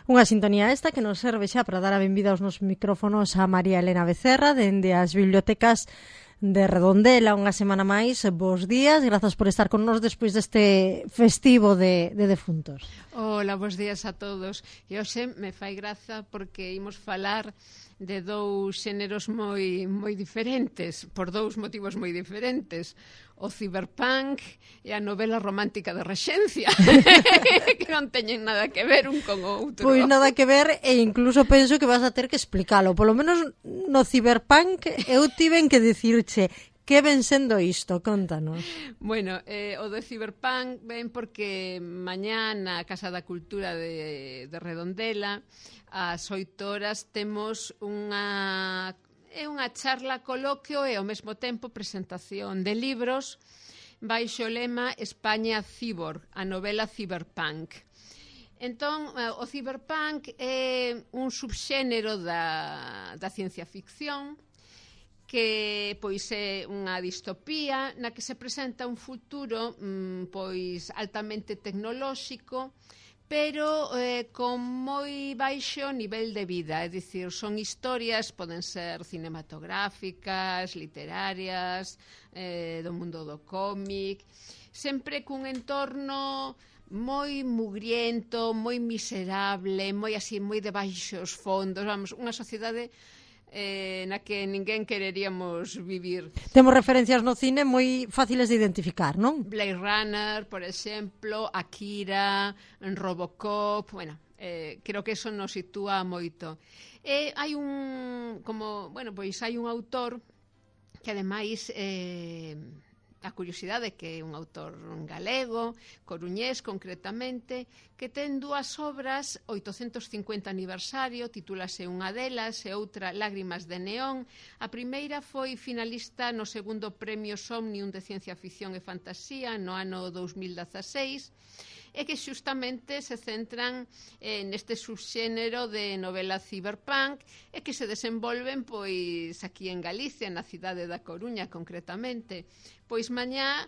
Unha sintonía esta que nos serve xa para dar a benvida aos nosos micrófonos a María Elena Becerra dende as bibliotecas de Redondela unha semana máis. Bos días, grazas por estar con nos despois deste festivo de defuntos. Hola, bos días a todos. E hoxe me fai graza porque imos falar de dous xéneros moi diferentes, por dous motivos moi diferentes. O ciberpunk e a novela romántica de Rexencia, que non teñen nada que ver un con o outro. Pois nada que ver, e incluso penso que vas a ter que explicalo. Polo menos no ciberpunk eu tiven que dicirche que ven sendo isto, contanos. Bueno, o do ciberpunk ven porque mañá na Casa da Cultura de Redondela ás 8 horas temos unha charla coloquio e ao mesmo tempo presentación de libros baixo o lema España Cyborg, a novela ciberpunk. Entón, o ciberpunk é un subxénero da ciencia ficción que pois é unha distopía na que se presenta un futuro pois altamente tecnolóxico, pero con moi baixo nivel de vida, é dicir, son historias, poden ser cinematográficas, literarias, do mundo do cómic, sempre cun entorno moi mugriento, moi miserable, moi así, moi de baixos fondos, vamos, unha sociedade na que ninguén quereríamos vivir. Temos referencias no cine moi fáciles de identificar, non? Blade Runner, por exemplo, Akira, Robocop, bueno, creo que eso nos sitúa moito. E hai hai un autor que ademais a curiosidade que é un autor galego, coruñés concretamente, que ten dúas obras, 850 aniversario, titúlase unha delas e outra Lágrimas de Neón. A primeira foi finalista no segundo premio Somnium de Ciencia Ficción e Fantasía no ano 2016, e que xustamente se centran neste subxénero de novela ciberpunk e que se desenvolven pois aquí en Galicia, na cidade da Coruña concretamente. Pois mañá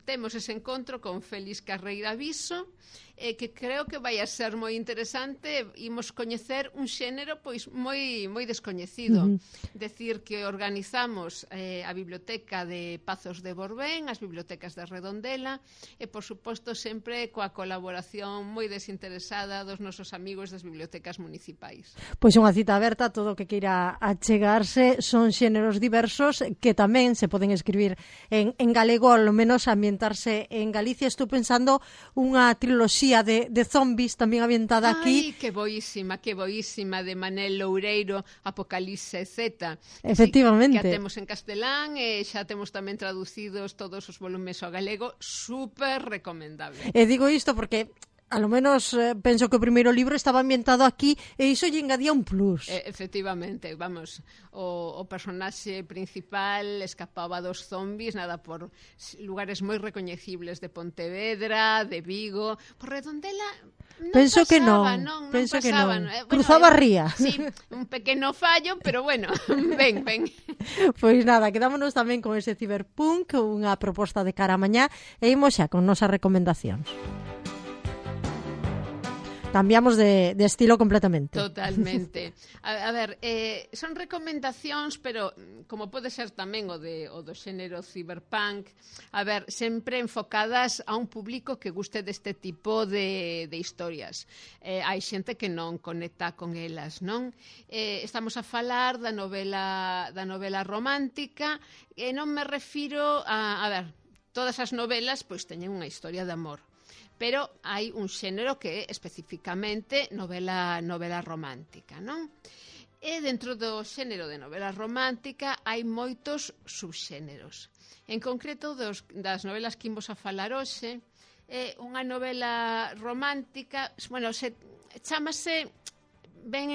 temos ese encontro con Félix Carreira Viso, que creo que vai a ser moi interesante. Imos coñecer un xénero pois moi descoñecido. Decir que organizamos a biblioteca de Pazos de Borbén, as bibliotecas de Redondela, e por suposto sempre coa colaboración moi desinteresada dos nosos amigos das bibliotecas municipais. Pois unha cita aberta, todo o que queira achegarse. Son xéneros diversos que tamén se poden escribir en galego, ao menos ambientarse en Galicia. Estou pensando unha triloxía de zombies tamén ambientada aquí. Ai, que boísima, de Manel Loureiro, Apocalipse Z. Efectivamente. Que a temos en castelán e xa temos tamén traducidos todos os volumes ao galego, super recomendable. E digo isto porque a lo menos penso que o primeiro libro estaba ambientado aquí e iso lle engadía un plus. Efectivamente, vamos, o personaxe principal escapaba dos zombies, nada, por lugares moi recoñecibles de Pontevedra, de Vigo, por Redondela non penso pasaba, que non, non penso pasaba, que non. Bueno, Cruzaba a ría. Sí, un pequeno fallo, pero bueno, ven. Pois nada, quedámonos tamén con ese ciberpunk, unha proposta de cara a mañá, e imos xa con nosas recomendacións. Cambiamos de estilo completamente. Totalmente. A ver, son recomendacións, pero como pode ser tamén o do xénero ciberpunk, a ver, sempre enfocadas a un público que guste deste tipo de historias. Hai xente que non conecta con elas, non? Estamos a falar da novela romántica, e non me refiro a ver, todas as novelas pois teñen unha historia de amor, pero hai un xénero que é especificamente novela romántica, non? E dentro do xénero de novela romántica hai moitos subxéneros. En concreto, das novelas que imos a falar hoxe, é unha novela romántica, bueno, chámase ben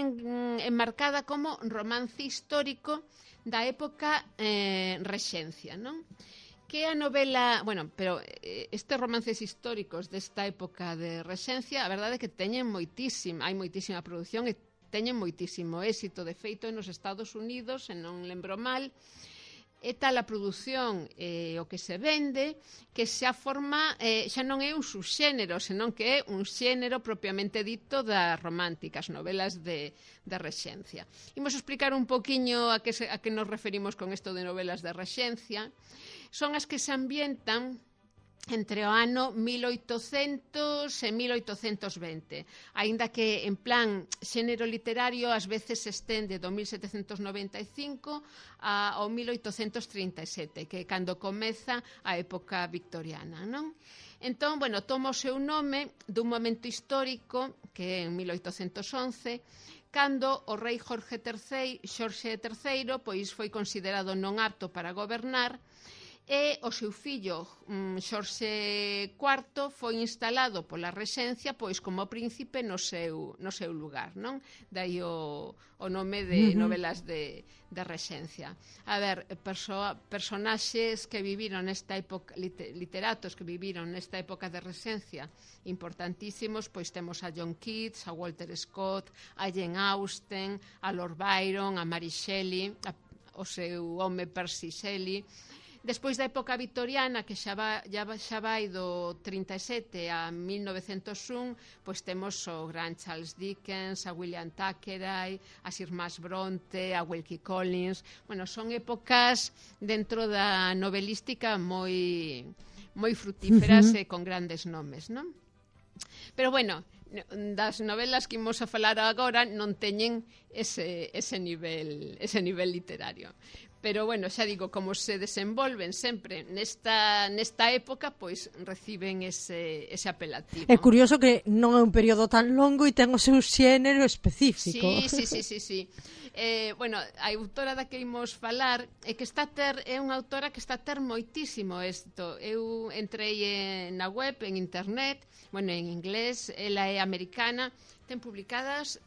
enmarcada como romance histórico da época Rexencia, non? Que a novela, bueno, pero estes romances históricos desta época de Rexencia, a verdade é que hai moitísima produción e teñen moitísimo éxito. De feito, nos Estados Unidos, se non lembro mal, é tal a produción o que se vende que xa forma, xa non é un subxénero, senón que é un xénero propiamente dito das románticas, novelas de rexencia. Imos explicar un poquinho a que nos referimos con isto de novelas de rexencia. Son as que se ambientan entre o ano 1800 e 1820, aínda que en plan xénero literario ás veces se estende do 1795 ao 1837, que é cando comeza a época victoriana, non? Entón, bueno, toma o seu nome dun momento histórico que é en 1811, cando o rei Xorxe III pois foi considerado non apto para gobernar, e o seu fillo Xorxe IV foi instalado pola rexencia pois como príncipe no seu lugar, non? Dai o nome de novelas de rexencia. A ver, personaxes que viviron nesta época, literatos que viviron nesta época de rexencia importantísimos, pois temos a John Keats, a Walter Scott, a Jane Austen, a Lord Byron, a Mary Shelley, o seu home Percy Shelley. Despois da época victoriana, que xa vai do 37 a 1901, pois temos o gran Charles Dickens, a William Thackeray, a Sir Max Bronte, a Wilkie Collins. Bueno, son épocas dentro da novelística moi frutíferas e con grandes nomes, non? Pero bueno, das novelas que imos a falar agora non teñen ese nivel literario. Pero, bueno, xa digo, como se desenvolven sempre nesta época, pois reciben ese apelativo. É curioso que non é un período tan longo e ten o seu xénero específico. Sí. Bueno, a autora da que imos falar é unha autora que está a ter moitísimo éxito. Eu entrei na web, en internet, bueno, en inglés, ela é americana, ten publicados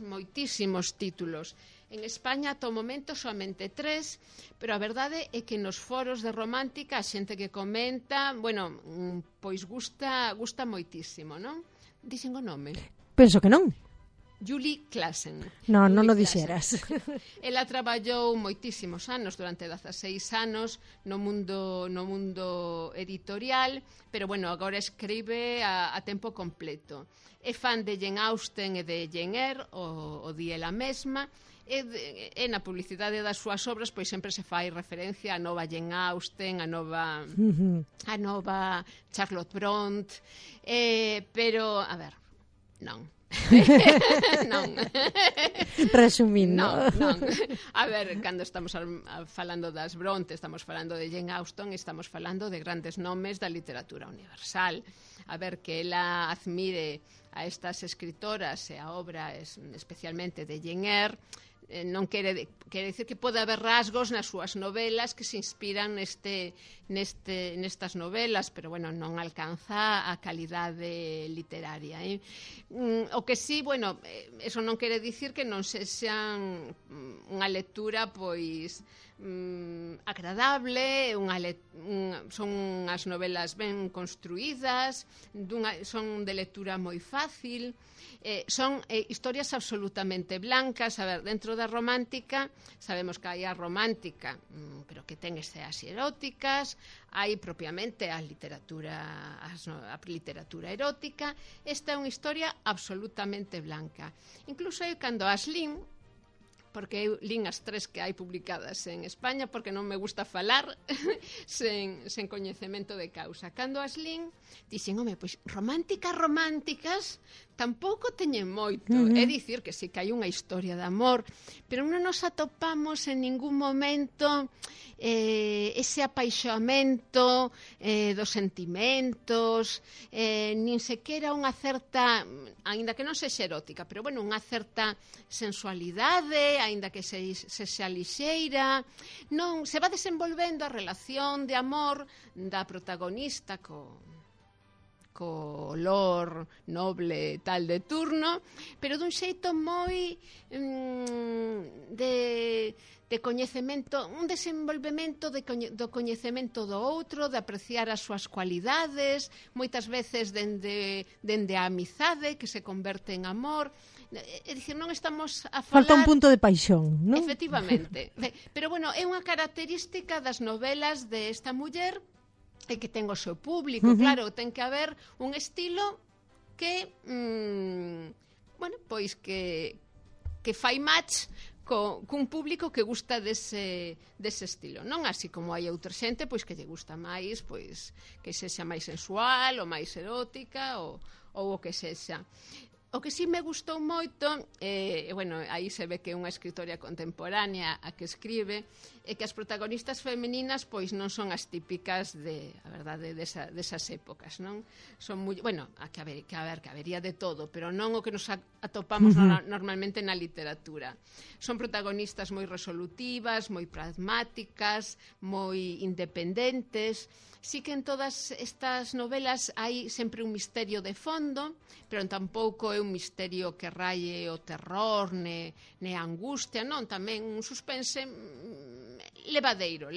moitísimos títulos. En España, ata o momento, somente 3, pero a verdade é que nos foros de romántica a xente que comenta, bueno, pois gusta moitísimo, non? Dixen o nome? Penso que non. Julie Klassen. Non o dixeras. Ela traballou moitísimos anos, durante 16 anos, no mundo editorial, pero, bueno, agora escribe a tempo completo. É fan de Jane Austen e de Jane Eyre, o di ela mesma, e na publicidade das súas obras pois sempre se fai referencia a nova Jane Austen, a nova Charlotte Bronte, pero, a ver, non. Non. Resumindo. Non. A ver, cando estamos falando das Bronte, estamos falando de Jane Austen, estamos falando de grandes nomes da literatura universal. A ver, que ela admire a estas escritoras e a obra especialmente de Jane Eyre, non quere dicir que pode haber rasgos nas súas novelas que se inspiran nestas novelas, pero, bueno, non alcanza a calidade literaria. O que sí, bueno, eso non quere dicir que non sexan unha lectura, pois, agradable, son as novelas ben construídas, son de lectura moi fácil, son historias absolutamente blancas. A ver, dentro da romántica sabemos que hai a romántica, pero que ten escenas eróticas, hai propiamente a literatura erótica. Esta é unha historia absolutamente blanca. Incluso cando as lin, porque eu lin as 3 que hai publicadas en España, porque non me gusta falar sen coñecemento de causa. Cando as lin, dixen, home, pois románticas tampouco teñen moito. É dicir que sí que hai unha historia de amor, pero non nos atopamos en ningún momento ese apaixoamento dos sentimentos, nin sequera unha certa, aínda que non sexa erótica, pero, bueno, unha certa sensualidade, aínda que sexa lixeira. Non se va desenvolvendo a relación de amor da protagonista co olor noble tal de turno, pero dun xeito moi de coñecemento, un desenvolvemento do coñecemento do outro, de apreciar as súas cualidades, moitas veces dende a amizade que se converte en amor. É dicir, non estamos a falar... Falta un punto de paixón, non? Efectivamente. Pero, bueno, é unha característica das novelas desta muller e que ten o seu público, claro, ten que haber un estilo que bueno, pois que fai match cun público que gusta dese estilo, non así como hai outra xente pois que lle gusta máis, pois que sexa máis sensual ou máis erótica ou o que sexa. O que sí me gustou moito, bueno, aí se ve que é unha escritora contemporánea a que escribe, é que as protagonistas femininas pois non son as típicas a verdade, desas épocas, non? Son moi, bueno, que habería de todo, pero non o que nos atopamos normalmente na literatura. Son protagonistas moi resolutivas, moi pragmáticas, moi independentes. Sí que en todas estas novelas hai sempre un misterio de fondo, pero tampouco é un misterio que raie o terror, ne a angustia, non, tamén un suspense levadeiro.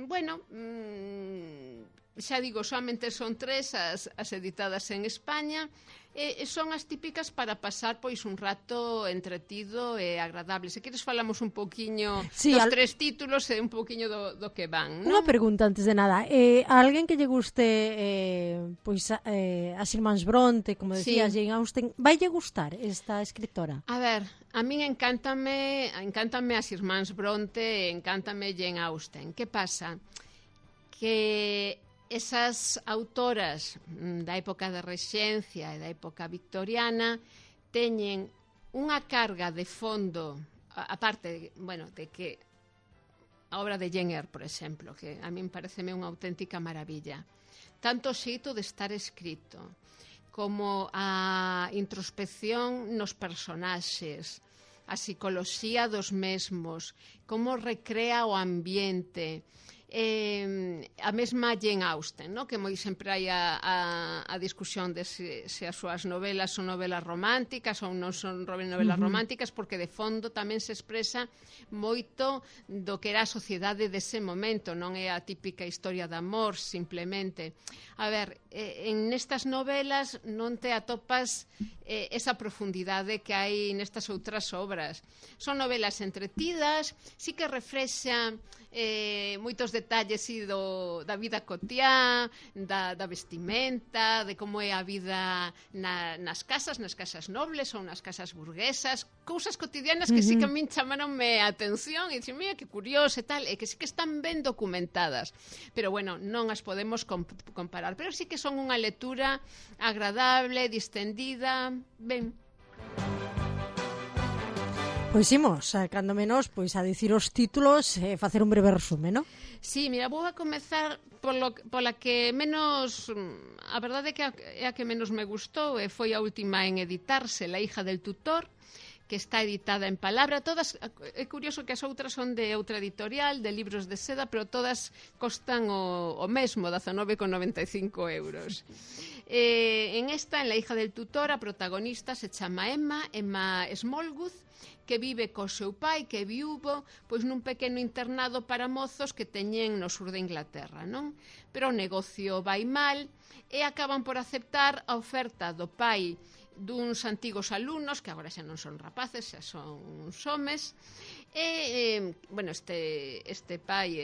Bueno, xa digo, solamente son 3 as editadas en España, e son as típicas para pasar pois un rato entretido e agradable. Se queres falamos un poquiño dos 3 títulos e un poquiño do que van, non? Unha pregunta antes de nada. A alguén que lle guste pois as irmáns Bronte, como decía, Jane Austen, vai lle gustar esta escritora? A ver, a min encántame as irmáns Bronte, encántame Jane Austen. Que pasa? Que esas autoras da época da Rexencia e da época victoriana teñen unha carga de fondo, aparte, bueno, de que a obra de Jane Eyre, por exemplo, que a min pareceme unha auténtica maravilla, tanto o xeito de estar escrito como a introspección nos personaxes, a psicoloxía dos mesmos, como recrea o ambiente, a mesma Jane Austen, no? Que moi sempre hai a discusión de se as súas novelas son novelas románticas ou non son novelas románticas, porque de fondo tamén se expresa moito do que era a sociedade dese momento, non é a típica historia de amor simplemente. A ver, en nestas novelas non te atopas esa profundidade que hai nestas outras obras. Son novelas entretidas, sí que reflexan moitos detalles da vida cotiá, da vestimenta, de como é a vida nas casas nobles ou nas casas burguesas, cousas cotidianas que sí que a min chamaronme a atención e dixen, mira, que curioso e tal, e que sí que están ben documentadas, pero bueno, non as podemos comparar, pero sí que son unha lectura agradable, distendida, ben. Pois imos, cando menos, pois a dicir os títulos e facer un breve resume, non? Sí, mira, vou a comezar pola que menos, a verdade é a que menos me gustou, e foi a última en editarse, La hija del tutor, que está editada en palabra. Todas, é curioso que as outras son de outra editorial, de libros de seda, pero todas costan o mesmo, 19,95 euros. En esta, en La hija del tutor, a protagonista se chama Emma Smallwood, que vive co seu pai, que é viúvo, pois nun pequeno internado para mozos que teñen no sur de Inglaterra, non? Pero o negocio vai mal e acaban por aceptar a oferta do pai duns antigos alumnos, que agora xa non son rapaces, xa son uns homes, e, bueno, este pai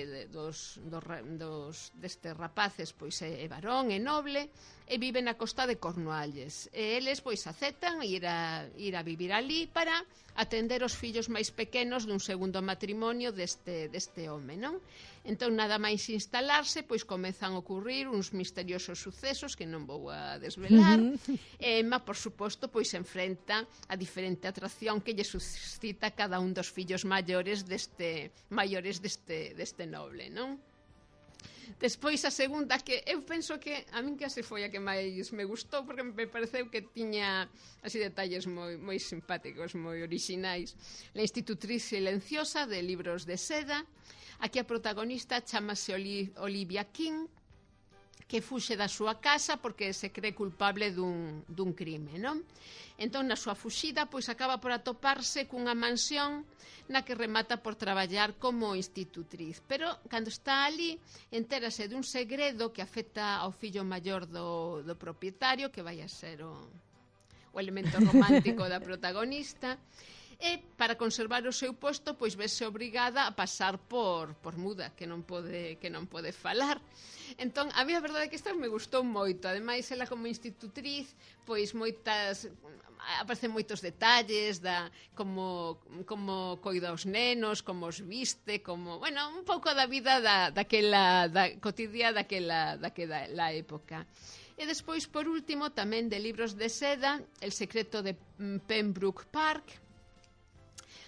destes rapaces pois é varón, é noble, e vive na costa de Cornualles. E eles pois aceptan ir a vivir ali para atender os fillos máis pequenos dun segundo matrimonio deste home, non? Entón, nada máis instalarse, pois comezan a ocurrir uns misteriosos sucesos que non vou a desvelar. Emma, por suposto, pois se enfrenta a diferente atracción que lle suscita cada un dos fillos maiores deste noble, non? Despois a segunda, que eu penso que a min case foi a que máis me gustou, porque me pareceu que tiña así detalles moi simpáticos, moi orixinais. La institutriz silenciosa, de libros de seda. Aquí a protagonista chamase Olivia King, que fuxe da súa casa porque se cree culpable dun crime, non? Entón, na súa fuxida, pois acaba por atoparse cunha mansión na que remata por traballar como institutriz. Pero, cando está ali, entérase dun segredo que afecta ao fillo maior do propietario, que vai a ser o elemento romántico da protagonista, e para conservar o seu posto pois vese obrigada a pasar por muda, que non pode falar. Entón, a mí a verdade é que esta me gustou moito. Ademais, ela como institutriz, pois aparecen moitos detalles como coida os nenos, como os viste, un pouco da vida daquela cotidiana daquela época. E despois, por último, tamén de libros de seda, El secreto de Pembroke Park.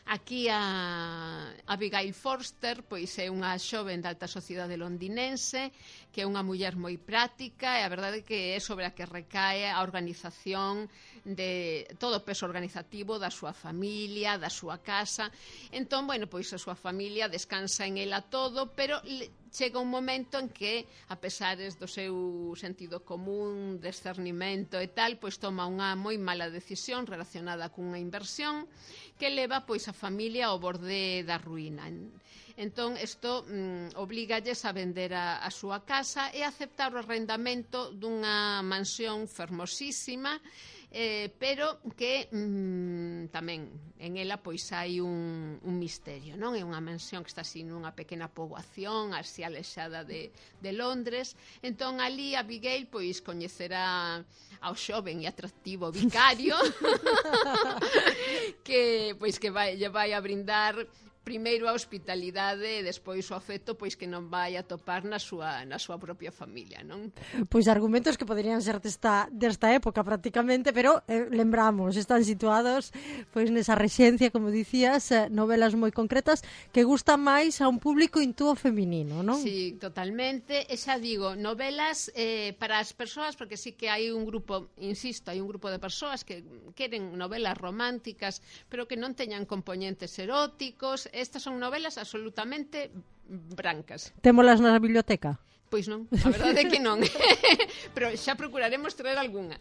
Aquí a Abigail Forster pois é unha xoven da alta sociedade londinense que é unha muller moi práctica e a verdade é que é sobre a que recae a organización de todo o peso organizativo da súa familia, da súa casa. Entón, pois a súa familia descansa en ela todo, pero chega un momento en que, a pesares do seu sentido común, discernimento e tal, pois toma unha moi mala decisión relacionada cunha inversión que leva pois a familia ao borde da ruína. Entón, isto obligalles a vender a súa casa e a aceptar o arrendamento dunha mansión fermosísima, pero que tamén en ela pois hai un misterio, non? É unha mansión que está así nunha pequena poboación así alexada de Londres. Entón ali Abigail pois coñecerá ao xoven e atractivo vicario que lle vai a brindar primeiro a hospitalidade e despois o afecto pois que non vai a topar na súa propia familia, non? Pois argumentos que poderían ser desta época prácticamente, pero lembramos, están situados pois nesa rexencia, como dicías, novelas moi concretas que gustan máis a un público intúo feminino, non? Sí, totalmente. E xa digo, novelas para as persoas, porque sí que hai un grupo, insisto, hai un grupo de persoas que queren novelas románticas, pero que non teñan componentes eróticos. Estas son novelas absolutamente brancas. Témolas na biblioteca? Pois non, a verdade é que non. Pero xa procuraremos traer algunha.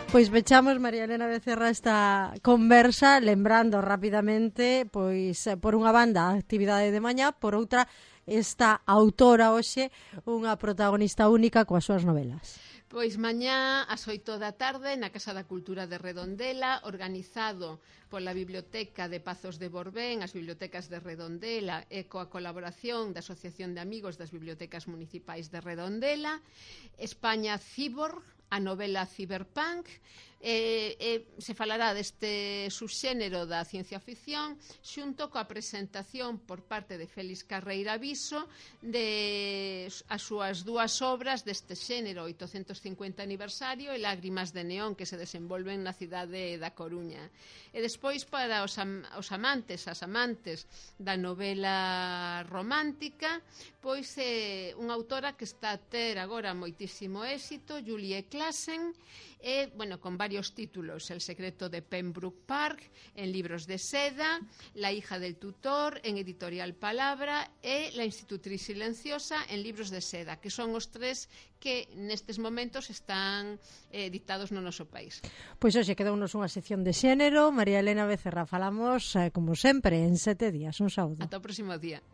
Pois pechamos, María Elena Becerra, esta conversa lembrando rapidamente, pois por unha banda a actividade de mañá, por outra esta autora hoxe, unha protagonista única coas súas novelas. Pois mañá ás 8 da tarde na Casa da Cultura de Redondela, organizado pola Biblioteca de Pazos de Borbén, as bibliotecas de Redondela e coa colaboración da Asociación de Amigos das Bibliotecas Municipais de Redondela, España Cyborg, a novela Cyberpunk, se falará deste subxénero da ciencia ficción xunto coa presentación por parte de Félix Carreira Viso de as súas dúas obras deste xénero, 850 aniversario e Lágrimas de Neón, que se desenvolven na cidade da Coruña. E despois para os amantes, as amantes da novela romántica, pois é unha autora que está a ter agora moitísimo éxito, Julie Classen, e, con varios títulos: El secreto de Pembroke Park, en libros de seda, La hija del tutor, en editorial Palabra, e La institutriz silenciosa, en libros de seda, que son os tres que nestes momentos están editados no noso país. Pois hoxe quedounos unha sección de xénero. María Elena Becerra, falamos, como sempre, en 7 días. Un saúdo. Ata o próximo día.